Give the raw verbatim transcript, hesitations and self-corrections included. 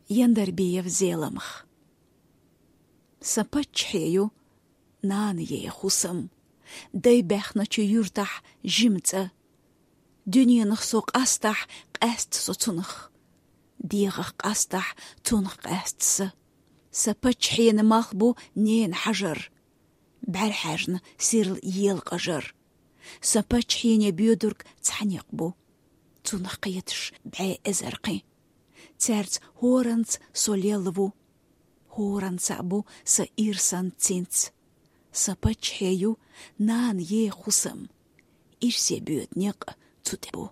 Яндарбиев Зеламха. Са паччахье ю, нана ей хӀусам. Дай баьхначу юьртахь жима цӀа. Дуьненах со къастахь, къаьста со цунах. ДегӀах къастахь, цунах къаьста са. Сан паччахьенан малх бу ненан хьажар. БӀаьрхьаьжна сирла елакъажар. Сан паччахьене боьдург цхьа некъ бу. Цунах кхеташ бӀе эзар кхин. Цаьрца хӀоранца со лелла ву. ХӀоранца бу сан ирсан цинц. Сан паччахье ю, нана ей хӀусам. Ирсе боьду некъ цу тӀе бу.